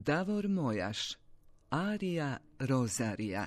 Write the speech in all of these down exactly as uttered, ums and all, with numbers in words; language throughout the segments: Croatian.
Davor Mojaš, arija Rozarija.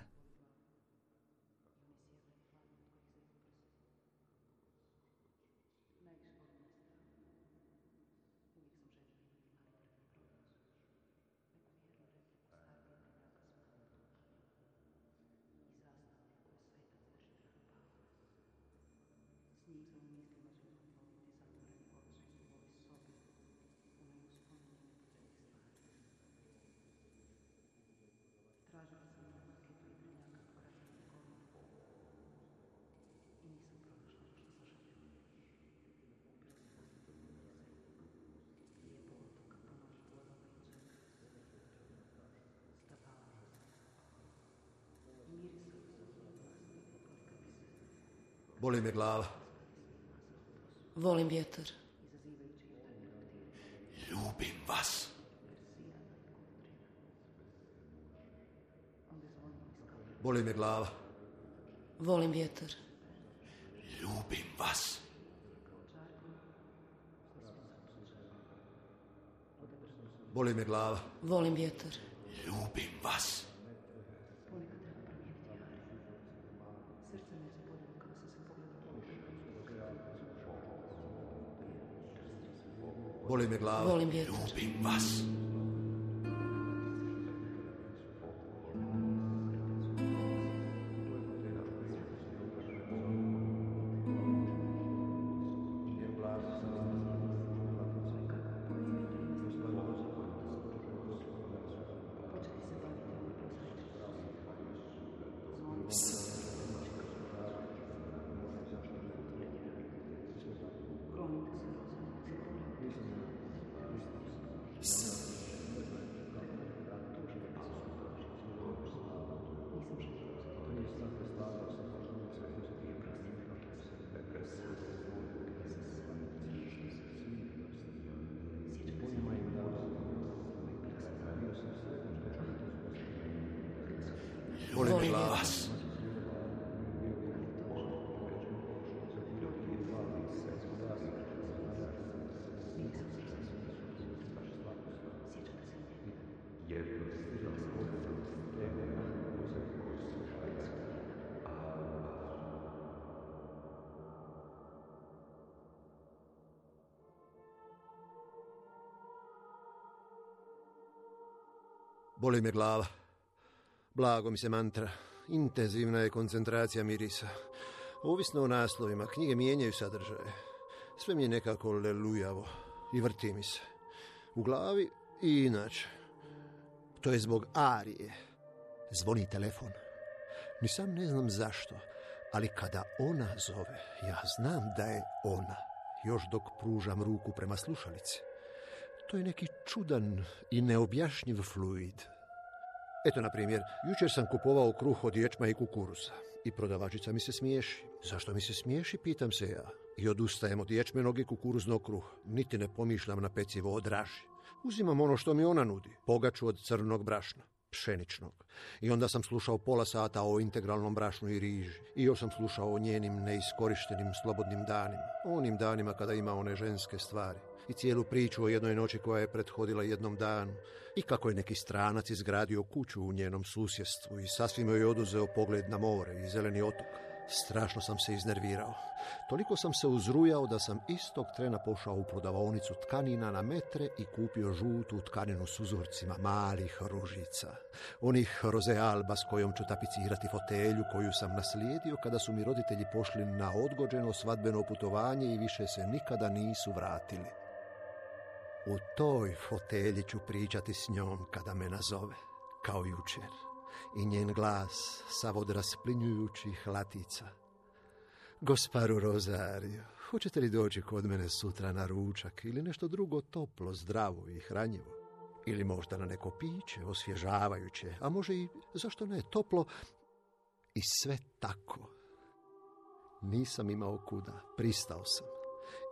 Boli me glava. Volim vjetar. Ljubim vas. Boli me glava. Volim vjetar. Ljubim vas. Boli me glava. Volim vjetar. Ljubim vas. Boli me glava. Volim vjetar. Ljubim vas. Volim vas. Boli me glava. Blago mi se mantra. Intenzivna je koncentracija mirisa. Ovisno o naslovima, knjige mijenjaju sadržaje. Sve mi je nekako lelujavo i vrti mi se. U glavi i inače. To je zbog arije. Zvoni telefon. Ni sam ne znam zašto, ali kada ona zove, ja znam da je ona, još dok pružam ruku prema slušalici. To je neki čudan i neobjašnjiv fluid. Eto, na primjer, jučer sam kupovao kruh od ječma i kukuruza i prodavačica mi se smiješi. Zašto mi se smiješi, pitam se ja. I odustajem od ječmenog i kukuruznog kruha. Niti ne pomišljam na pecivo od raži. Uzimam ono što mi ona nudi, pogaču od crnog brašna, pšeničnog. I onda sam slušao pola sata o integralnom brašnu i riži. I još sam slušao o njenim neiskorištenim slobodnim danima. O onim danima kada ima one ženske stvari. I cijelu priču o jednoj noći koja je prethodila jednom danu. I kako je neki stranac izgradio kuću u njenom susjedstvu i sasvim joj oduzeo pogled na more i zeleni otok. Strašno sam se iznervirao. Toliko sam se uzrujao da sam istog trena pošao u prodavaonicu tkanina na metre i kupio žutu tkaninu s uzorcima malih ružica. Onih rozealba s kojom ću tapicirati fotelju koju sam naslijedio kada su mi roditelji pošli na odgođeno svadbeno putovanje i više se nikada nisu vratili. U toj fotelji ću pričati s njom kada me nazove, kao jučer. I njen glas, sav od rasplinjujućih latica. Gosparu Rozario, hoćete li doći kod mene sutra na ručak ili nešto drugo toplo, zdravo i hranjivo? Ili možda na neko piće, osvježavajuće, a može i, zašto ne, toplo i sve tako. Nisam imao kuda, pristao sam.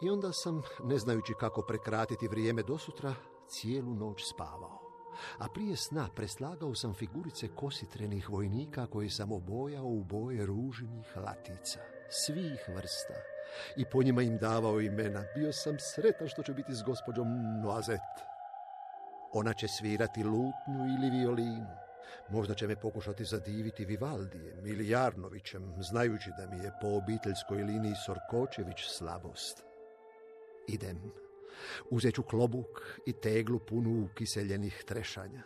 I onda sam, ne znajući kako prekratiti vrijeme do sutra, cijelu noć spavao. A prije sna preslagao sam figurice kositrenih vojnika koje sam obojao u boje ružinih latica, svih vrsta. I po njima im davao imena. Bio sam sretan što će biti s gospođom Noazet. Ona će svirati lutnju ili violinu. Možda će me pokušati zadiviti Vivaldijem ili Jarnovićem, znajući da mi je po obiteljskoj liniji Sorkočević slabost. Idem. Uzet ću klobuk i teglu punu kiseljenih trešanja.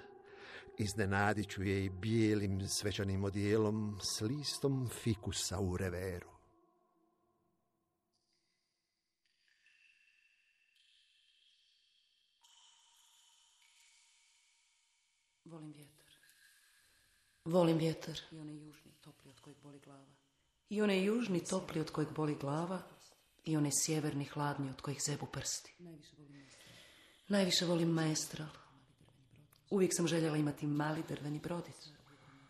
Iznenadit ću je i bijelim svečanim odijelom s listom fikusa u reveru. Volim vjetar. Volim vjetar. I onaj južni topli od kojeg boli glava. I onaj južni topli od kojeg boli glava. I onaj sjeverni hladni od kojih zebu prsti. Najviše volim maestral. Uvijek sam željela imati mali drveni brodic.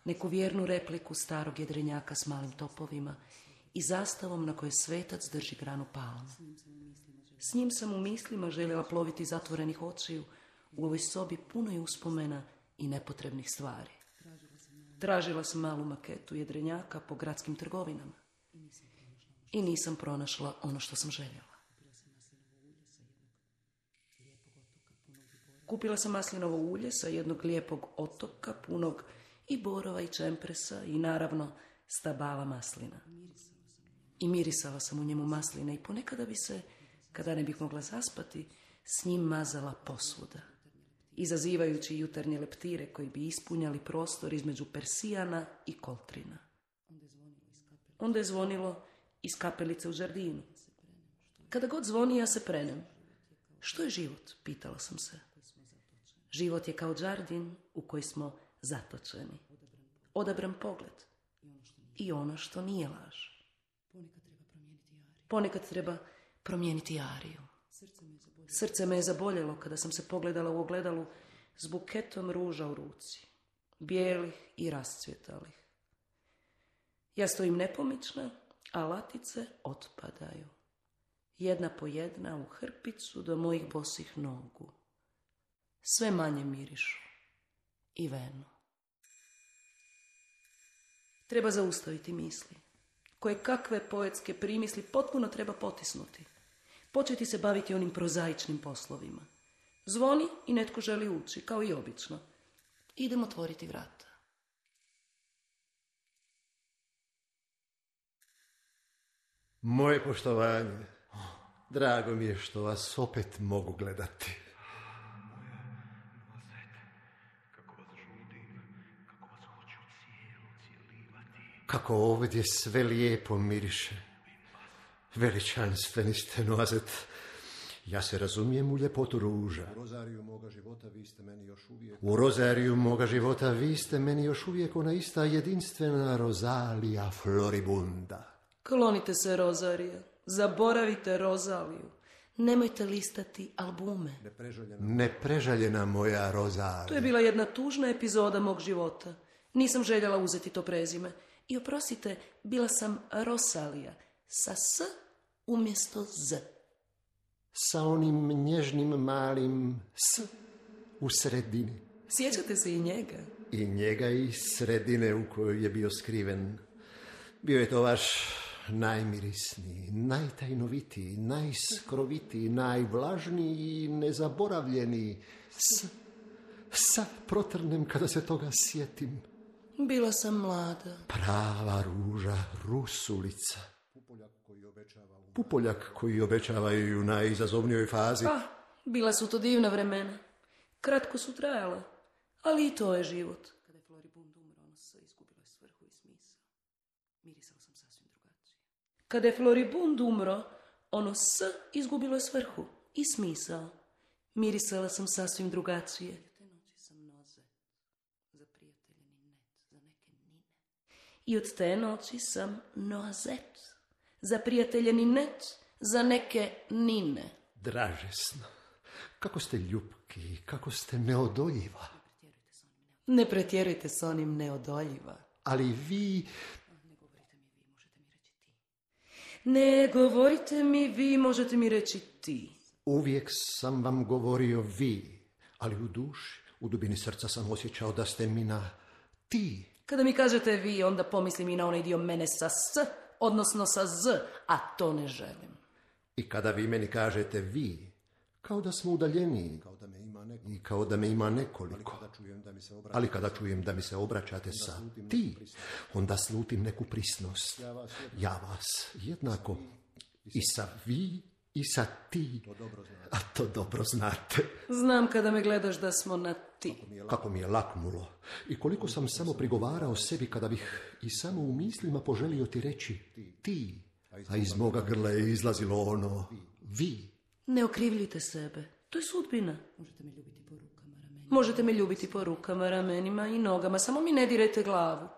Neku vjernu repliku starog jedrenjaka s malim topovima i zastavom na kojoj svetac drži granu palme. S njim sam u mislima željela ploviti zatvorenih očiju u ovoj sobi punoj uspomena i nepotrebnih stvari. Tražila sam malu maketu jedrenjaka po gradskim trgovinama i nisam pronašla ono što sam željela. Kupila sam maslinovo ulje sa jednog lijepog otoka, punog i borova i čempresa i naravno stabala maslina. I mirisala sam u njemu masline i ponekada bi se, kada ne bih mogla zaspati, s njim mazala posvuda, izazivajući jutarnje leptire koji bi ispunjali prostor između Persijana i Koltrina. Onda je zvonilo iz kapelice u žardinu. Kada god zvoni, ja se prenem. Što je život? Pitala sam se. Život je kao žardin u koji smo zatočeni. Odabran pogled. I ono što nije laž. Ponekad treba promijeniti ariju. Srce me je zaboljelo kada sam se pogledala u ogledalu s buketom ruža u ruci. Bijelih i rascvjetalih. Ja stojim nepomična, a latice otpadaju. Jedna po jedna u hrpicu do mojih bosih nogu. Sve manje mirišu. I venu. Treba zaustaviti misli. Koje kakve poetske primisli potpuno treba potisnuti. Početi se baviti onim prozaičnim poslovima. Zvoni i netko želi ući, kao i obično. Idem otvoriti vrata. Moje poštovanje. Drago mi je što vas opet mogu gledati. Kako ovdje sve lijepo miriše. Veličanstveni ste, Noazet. Ja se razumijem u ljepotu ruža. U rozariju moga života vi ste meni još uvijek... U rozariju moga života vi ste meni još uvijek ona ista jedinstvena Rozalija Floribunda. Klonite se, Rozarija. Zaboravite Rozaliju. Nemojte listati albume. Neprežaljena, Neprežaljena moja Rozalija. To je bila jedna tužna epizoda mog života. Nisam željela uzeti to prezime. I oprostite, bila sam Rosalija. Sa S umjesto Z. Sa onim nježnim malim S u sredini. Sjećate se i njega? I njega i sredine u kojoj je bio skriven. Bio je to vaš najmirisniji, najtajnovitiji, najskrovitiji, najvlažniji i nezaboravljeniji S. Sad protrnem kada se toga sjetim. Bila sam mlada. Prava ruža, rusulica. Pupoljak koji obećava i u najizazovnijoj fazi. Ah, bila su to divna vremena. Kratko su trajala, ali i to je život. Kada je Floribund umro, ono S izgubilo je svrhu i smisao. Mirisala sam sasvim drugačije. Kada je Floribund umro, ono S izgubilo je svrhu i smisao. Mirisala sam sasvim drugačije. I od te noći sam Noazet, za prijateljeni net, za neke nine. Dražesno, kako ste ljubki, kako ste neodoljiva. Ne pretjerujte s onim neodoljiva. Ali vi... Ne govorite mi vi, možete mi reći ti. Uvijek sam vam govorio vi, ali u duši, u dubini srca sam osjećao da ste mi na ti. Kada mi kažete vi, onda pomislim i na onaj dio mene sa S, odnosno sa Z, a to ne želim. I kada vi meni kažete vi, Kao da smo udaljeniji i kao da me ima nekoliko. Ali kada čujem da mi se obraćate sa ti, onda slutim neku prisnost. Ja vas jednako i sa vi i sa ti. A to dobro znate. Znam kada me gledaš da smo na ti. Kako mi je laknulo. I koliko sam samo prigovarao sebi kada bih i samo u mislima poželio ti reći ti. A iz moga grla je izlazilo ono vi. Ne okrivljujte sebe. To je sudbina. Možete me ljubiti po rukama, ramenima i nogama. Samo mi ne dirajte glavu.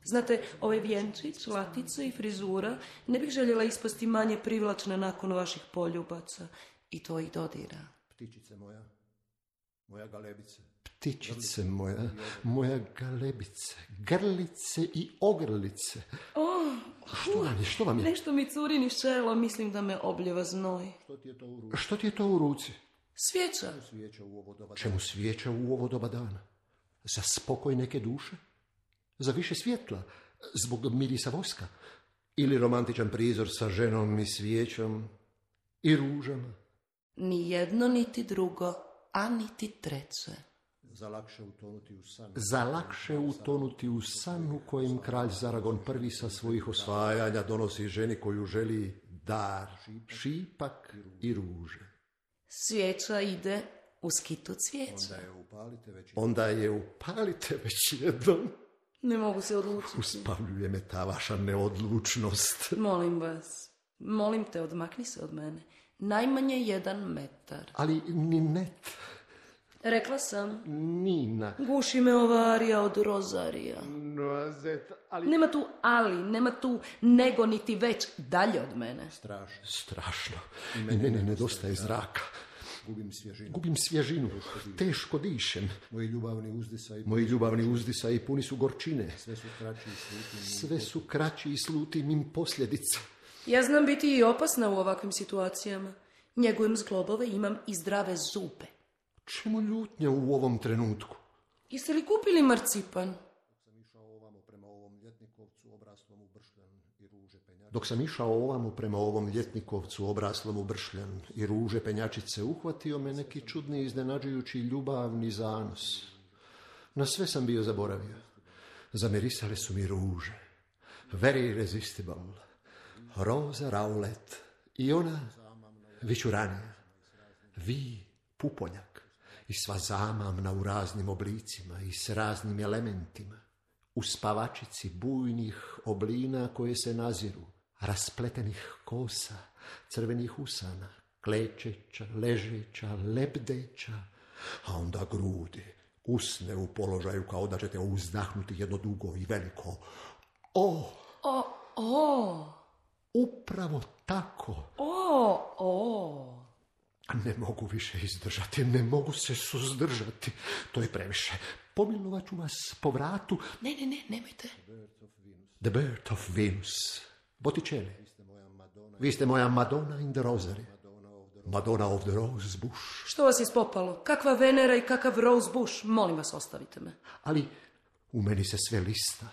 Znate, ovaj vjenčić, latica i frizura ne bih željela ispasti manje privlačna nakon vaših poljubaca. I to ih dodira. Ptičice moja, moja galebice. Ptičice moja, moja galebice, grlice i ogrlice. Oh, što vam je, što vam je? Nešto mi curi niz čelo, mislim da me obljeva znoj. Što ti je to u ruci? Što ti je to u ruci? Svijeća. Čemu svijeća u ovo doba dana? Za spokoj neke duše? Za više svjetla? Zbog mirisa voska? Ili romantičan prizor sa ženom i svijećom i ružama? Ni jedno, niti drugo, a niti treće. Za lakše utonuti u san. Za lakše utonuti u san u kojem kralj Zaragon prvi sa svojih osvajanja donosi ženi koju želi dar, šipak i ruže. Svijeća ide u skitu cvijeća. Onda je upalite već, Onda je upalite već jednom. Ne mogu se odlučiti. Uspavljuje me ta vaša neodlučnost. Molim vas, molim te, odmakni se od mene. Najmanje jedan metar. Ali ni net. Rekla sam. Nina. Guši me ova arija od Rozarija. Noazet, ali... Nema tu ali, nema tu nego niti već dalje od mene. Strašno. Strašno. I mene ne nedostaje zraka. Gubim svježinu. Gubim svježinu. Teško dišem. Moji ljubavni uzdisaj. Moji ljubavni uzdisaj puni su gorčine. Sve su kraći i slutim. Sve su kraći i slutim im posljedica. Ja znam biti i opasna u ovakvim situacijama. Njegujem zglobove, imam i zdrave zube. Čemu ljutnja u ovom trenutku? Jeste li kupili marcipan? Dok sam išao ovamo prema ovom ljetnikovcu obraslom u bršljan i ruže penjačice, uhvatio me neki čudni iznenađujući ljubavni zanos. Na sve sam bio zaboravio. Zamirisale su mi ruže. Very irresistible. Roza Rowlett. I ona vičuranija. Vi pupoljak. I sva zamamna u raznim oblicima i s raznim elementima. U spavačici bujnih oblina koje se naziru. Raspletenih kosa, crvenih usana, klečeća, ležeća, lebdeća, a onda grudi, usne u položaju kao da ćete uzdahnuti jedno dugo i veliko. O! O, o! Upravo tako. O, o! Ne mogu više izdržati, ne mogu se suzdržati. To je previše. Pomilovat ću vas po vratu. Ne, ne, ne, nemojte. The Birth of Venus. Botticelli. Vi ste moja Madonna in the Rosary. Madonna of the Rose Bush. Što vas je spopalo? Kakva Venera i kakav Rose Bush? Molim vas, ostavite me. Ali u meni se sve lista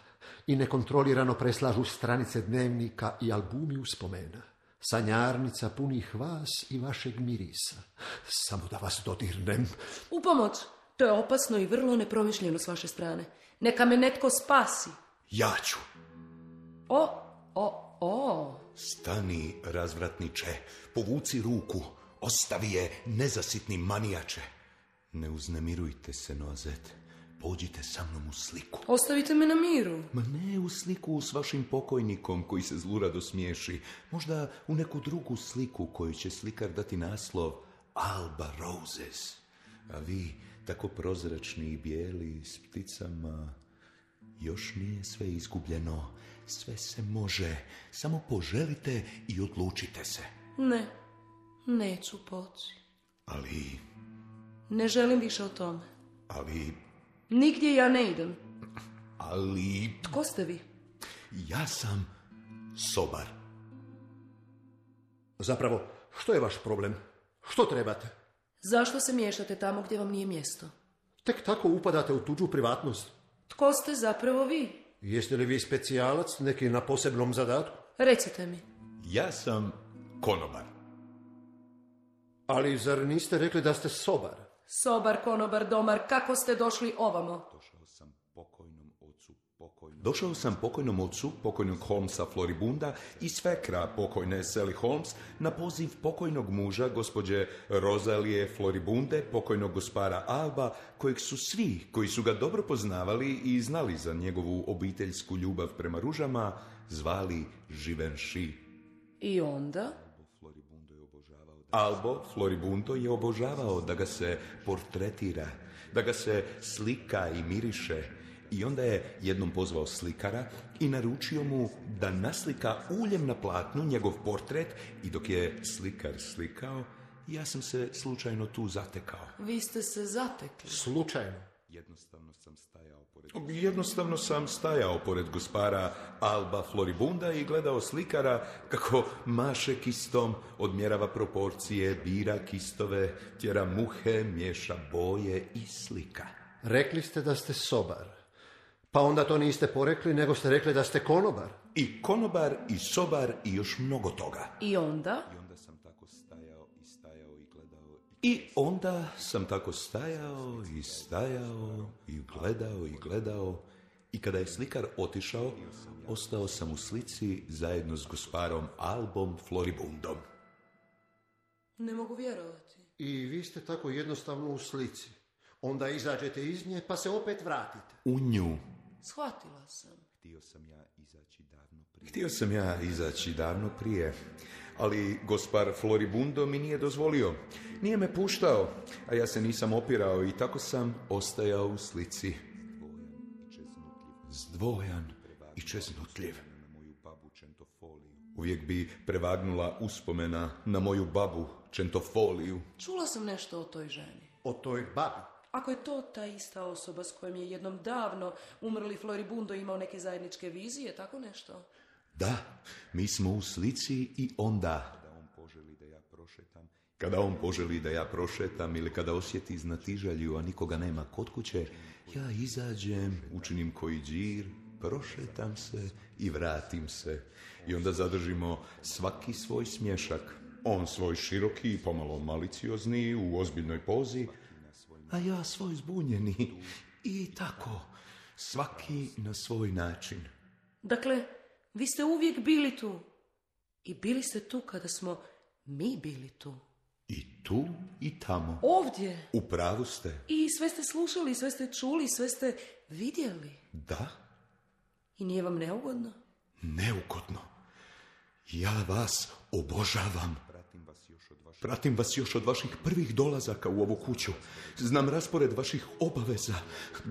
i nekontrolirano preslažu stranice dnevnika i albumi uspomena. Sanjarnica punih vas i vašeg mirisa. Samo da vas dodirnem. U pomoć. To je opasno i vrlo nepromišljeno s vaše strane. Neka me netko spasi. Ja ću. O, o, o. Stani, razvratniče. Povuci ruku. Ostavi je, nezasitni manijače. Ne uznemirujte se, Noazet. Pođite sa mnom u sliku. Ostavite me na miru. Ma ne u sliku s vašim pokojnikom koji se zlurado smiješi. Možda u neku drugu sliku koju će slikar dati naslov Alba Roses. A vi, tako prozračni i bijeli s pticama, još nije sve izgubljeno. Sve se može. Samo poželite i odlučite se. Ne, neću poći. Ali... Ne želim više o tome. Ali... Nigdje ja ne idem. Ali... Tko ste vi? Ja sam sobar. Zapravo, što je vaš problem? Što trebate? Zašto se miješate tamo gdje vam nije mjesto? Tek tako upadate u tuđu privatnost. Tko ste zapravo vi? Jeste li vi specijalac, neki na posebnom zadatku? Recite mi. Ja sam konobar. Ali zar niste rekli da ste sobar? Sobar, konobar, domar, kako ste došli ovamo? Došao sam pokojnom ocu pokojnom. Došao sam pokojnom ocu, pokojnog Holmesa Floribunda i svekra pokojne Sally Holmes na poziv pokojnog muža, gospođe Rosalije Floribunde, pokojnog gospara Alba, kojeg su svi koji su ga dobro poznavali i znali za njegovu obiteljsku ljubav prema ružama, zvali Givenchy. I onda? Albo Floribundo je obožavao da ga se portretira, da ga se slika i miriše. I onda je jednom pozvao slikara i naručio mu da naslika uljem na platnu njegov portret i dok je slikar slikao, ja sam se slučajno tu zatekao. Vi ste se zatekli? Slučajno? Jednostavno sam stajao pored... Jednostavno sam stajao pored gospara Alba Floribunda i gledao slikara kako maše kistom, odmjerava proporcije, bira kistove, tjera muhe, miješa boje i slika. Rekli ste da ste sobar. Pa onda to niste porekli, nego ste rekli da ste konobar. I konobar, i sobar, i još mnogo toga. I onda? I onda sam tako stajao i stajao i gledao. I onda sam tako stajao i stajao i gledao i gledao. I kada je slikar otišao, ostao sam u slici zajedno s gosparom Albom Floribundom. Ne mogu vjerovati. I vi ste tako jednostavno u slici. Onda izađete iz nje, pa se opet vratite. U nju. Shvatila sam. Htio sam ja izaći davno prije. Htio sam ja izaći davno prije, ali gospar Floribundo mi nije dozvolio. Nije me puštao, a ja se nisam opirao i tako sam ostajao u slici. Zdvojan i čeznutljiv. Uvijek bi prevagnula uspomena na moju babu Čentofoliju. Čula sam nešto o toj ženi. O toj babi? Ako je to ta ista osoba s kojom je jednom davno umrli Floribundo imao neke zajedničke vizije, tako nešto? Da, mi smo u slici i onda. Kada on poželi da ja prošetam, kada on poželi da ja prošetam ili kada osjeti znatiželju, a nikoga nema kod kuće, ja izađem, učinim koji džir, prošetam se i vratim se. I onda zadržimo svaki svoj smješak. On svoj široki i pomalo maliciozni u ozbiljnoj pozi, a ja svoj zbunjeni. I tako, svaki na svoj način. Dakle, vi ste uvijek bili tu. I bili ste tu kada smo mi bili tu. I tu i tamo. Ovdje. U pravu ste. I sve ste slušali, sve ste čuli, sve ste vidjeli. Da. I nije vam neugodno? Neugodno. Ja vas obožavam. Pratim vas još od vaših prvih dolazaka u ovu kuću. Znam raspored vaših obaveza.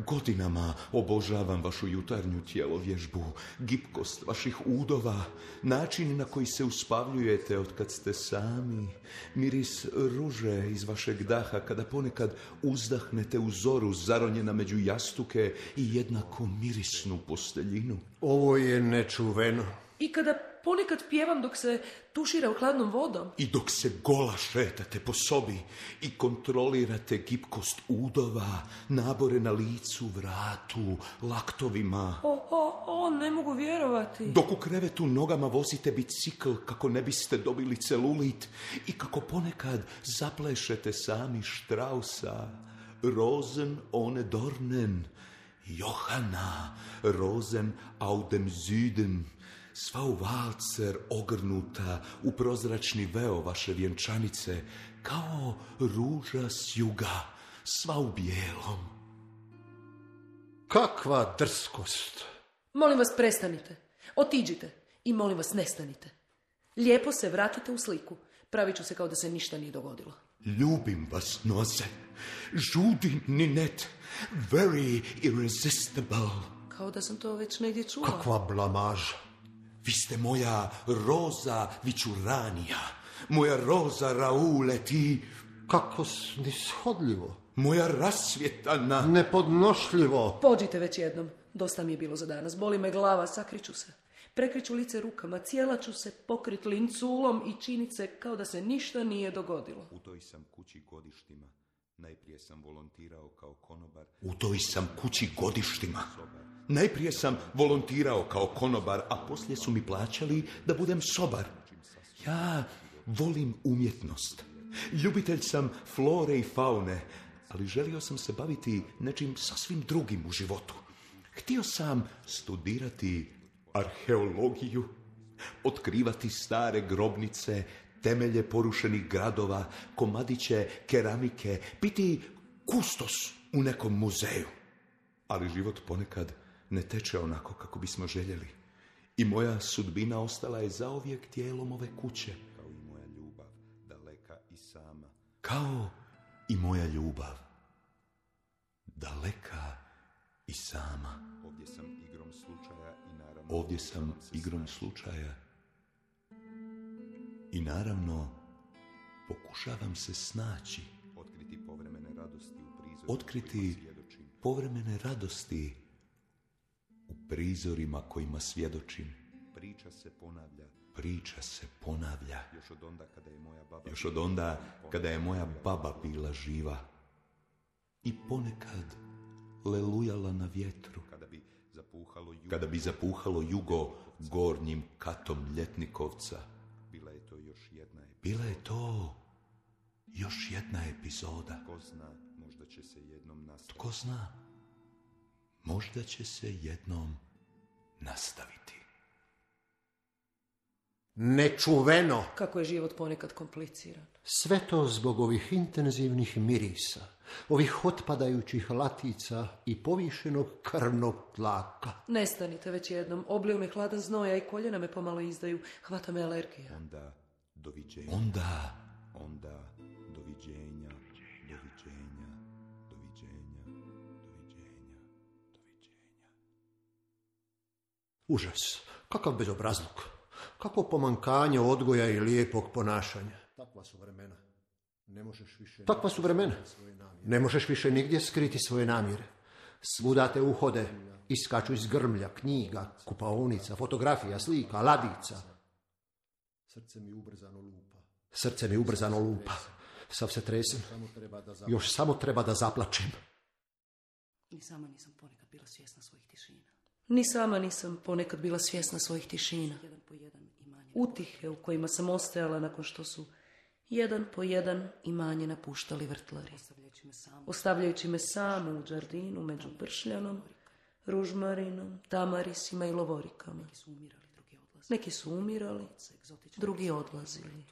Godinama obožavam vašu jutarnju tjelovježbu, gipkost vaših udova, način na koji se uspavljujete od kad ste sami, miris ruže iz vašeg daha kada ponekad uzdahnete u zoru zaronjena među jastuke i jednako mirisnu posteljinu. Ovo je nečuveno. I kada ponekad pjevam dok se tušira u hladnom vodom. I dok se gola šetate po sobi i kontrolirate gipkost udova, nabore na licu, vratu, laktovima. O, o, o, ne mogu vjerovati. Dok u krevetu nogama vozite bicikl kako ne biste dobili celulit i kako ponekad zaplešete sami Straussa. Rosen ohne Dornen, Johanna, Rosen aus dem Süden. Sva u valcer ogrnuta u prozračni veo vaše vjenčanice, kao ruža s juga, sva u bijelom. Kakva drskost! Molim vas, prestanite. Otiđite. I molim vas, nestanite. Lijepo se vratite u sliku. Pravit ću se kao da se ništa nije dogodilo. Ljubim vas, Noze. Žudi Ninette. Very irresistible. Kao da sam to već negdje čula. Kakva blamaža! Vi ste moja Roza Vičuranija, moja Roza Rauleti. Kako snishodljivo! Moja rasvjetana. Nepodnošljivo! Pođite već jednom. Dosta mi je bilo za danas. Boli me glava, sakriću se. Prekriću lice rukama, cijela ću se pokrit linculom i činit se kao da se ništa nije dogodilo. U toj sam kući godištima. Najprije sam volontirao kao konobar. U toj sam kući godištima. Najprije sam volontirao kao konobar, a poslije su mi plaćali da budem sobar. Ja volim umjetnost. Ljubitelj sam flore i faune, ali želio sam se baviti nečim sasvim drugim u životu. Htio sam studirati arheologiju, otkrivati stare grobnice, temelje porušenih gradova, komadiće keramike, biti kustos u nekom muzeju. Ali život ponekad ne teče onako kako bismo željeli. I moja sudbina ostala je zauvijek dijelom ove kuće. Kao i moja ljubav, daleka i sama. Kao i moja ljubav, daleka i sama. Ovdje sam igrom slučaja i naravno... Ovdje sam igrom slučaja i naravno pokušavam se snaći. Otkriti povremene radosti u prizorima. Otkriti povremene radosti u prizorima kojima svjedočim. Priča se ponavlja. Priča se ponavlja. Još od onda kada je moja baba, Još od onda kada je moja baba bila živa. I ponekad lelujala na vjetru. Kada bi zapuhalo jugo, kada bi zapuhalo jugo gornjim katom Ljetnikovca. Bila je to još jedna epizoda. Bila je to još jedna epizoda. Tko zna, možda će se jednom nastaviti. Tko zna, možda će se jednom nastaviti. Nečuveno. Kako je život ponekad kompliciran. Sve to zbog ovih intenzivnih mirisa, ovih otpadajućih latica i povišenog krvnog tlaka. Nestanite već jednom, obliju me hladan znoja i koljena me pomalo izdaju, hvata me alergija. Onda doviđenja. Onda, onda doviđenja, doviđenja, doviđenja, doviđenja, doviđenja. Užas, kakav bezobrazluk, kako pomankanje odgoja i lijepog ponašanja. Takva su vremena. Ne možeš više... Takva su vremena. Ne možeš više nigdje skriti svoje namjere. Svuda te uhode, iskaču iz grmlja, knjiga, kupaonica, fotografija, slika, ladica. Srce mi ubrzano lupa. Srce mi ubrzano lupa. Sav se tresem. Još samo treba da zaplačem. Ni sama nisam ponekad bila svjesna svojih tišina. Ni sama nisam ponekad bila svjesna svojih tišina. Utihe u kojima sam ostajala nakon što su jedan po jedan imanje napuštali vrtlari. Ostavljajući me samu u džardinu među bršljanom, ružmarinom, tamarisima i lovorikama. Neki su umirali, drugi odlazili.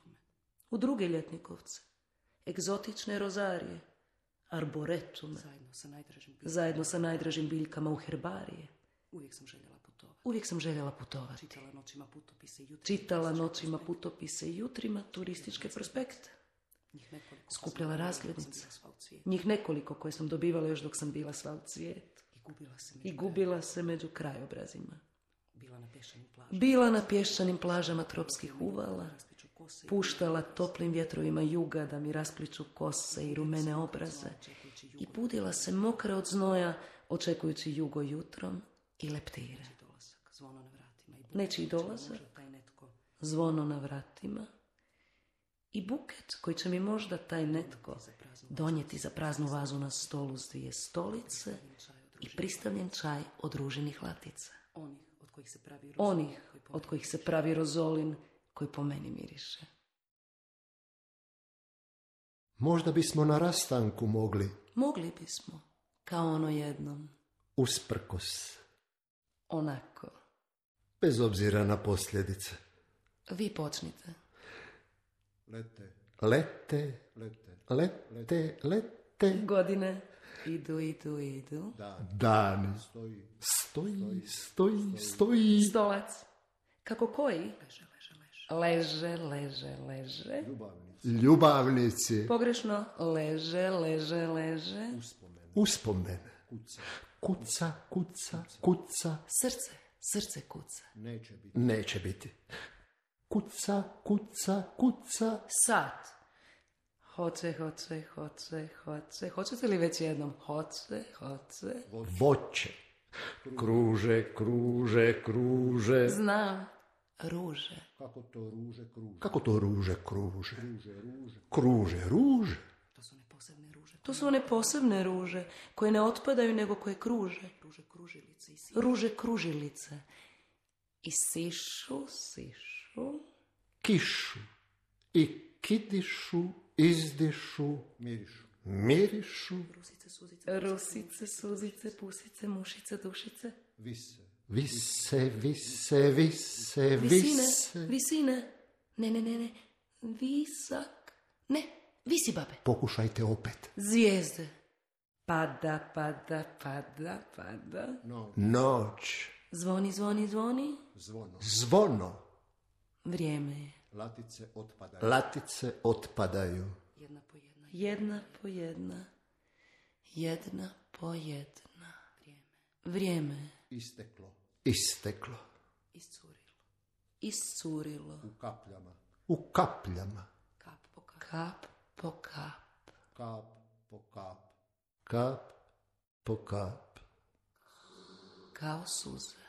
U druge Ljetnikovce, egzotične rozarije, arboretume, zajedno sa najdražim biljkama u herbarije. Uvijek sam željela putovati. Uvijek sam željela putovati. Čitala noćima putopise i jutrima, Čitala noćima putopise i jutrima turističke prospekte. Skupljala razglednice. Njih nekoliko koje sam dobivala još dok sam bila sva u cvijet. I gubila se među krajobrazima. Bila na pješčanim plažama tropskih uvala. Puštala toplim vjetrovima juga da mi raspliču kose i rumene obraze. I budila se mokra od znoja, očekujući jugo jutrom i leptire. Nečiji dolazak, zvono na vratima i buket koji će mi možda taj netko donijeti za praznu vazu na stolu s dvije stolice i pristavljen čaj od ruženih latica. Onih od kojih se pravi rozolin koji po meni miriše. Možda bismo na rastanku mogli. Mogli bismo, kao ono jednom. Usprkos. Onako. Bez obzira na posljedice. Vi počnite. Lete. Lete. Lete. Lete. Lete. Godine. Idu, idu, idu. Dani. Stoji. Stoji, stoji, stoji. Stolac. Kako koji? Leže, leže, leže. Ljubavnici. Ljubavnici. Pogrešno. Leže, leže, leže. Uspomene. Uspomene. Kuca. Kuca, kuca, kuca. Srce, srce kuca. Neće biti. Neće biti. Kuca, kuca, kuca. Sat. Hoće, hoće, hoće, hoće. Hoćete li već jednom? Hoće, hoće. Voće. Kruže, kruže, kruže. Znam. Ruže. Kako to ruže kruže? Kako to ruže kruže? Kruže, ruže. Kruže, ruže. To su one posebne ruže. To su one posebne ruže koje ne otpadaju nego koje kruže. Ruže kružilice. I sišu. Ruže kružilice. I sišu, sišu. Kišu. I kidišu, izdišu, mirišu, mirišu, Rusice, suzice, rusice, suzice, pusice, mušice, dušice. vise, vise, vise, vise, Visine, vise. visine. Ne, ne, ne, ne. Visak. Ne, visi babe. Pokušajte opet. Zvijezde. Pada, pada, pada, pada. Noć, Zvoni, zvoni, zvoni. zvono, Vrijeme je. latice otpadaju. Latice otpadaju. Jedna po jedna. Jedna po jedna. Jedna po jedna. Vrijeme. Vrijeme je. Isteklo. Isteklo. Iscurilo. Iscurilo. U kapljama. U kapljama. Kap po kap. Kap po kap. Kap po kap. Kap po kap. Kao suze.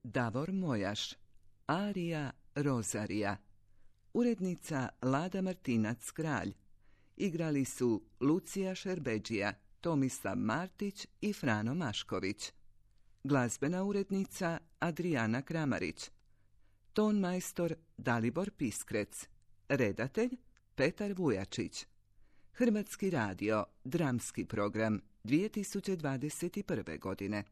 Davor Mojaš, arija Rozarija. Urednica Lada Martinac-Kralj. Igrali su Lucija Šerbeđija, Tomislav Martić i Frano Mašković. Glazbena urednica Adrijana Kramarić. Ton majstor Dalibor Piskrec. Redatelj Petar Vujačić. Hrvatski radio, dramski program dvije tisuće dvadeset prve. godine.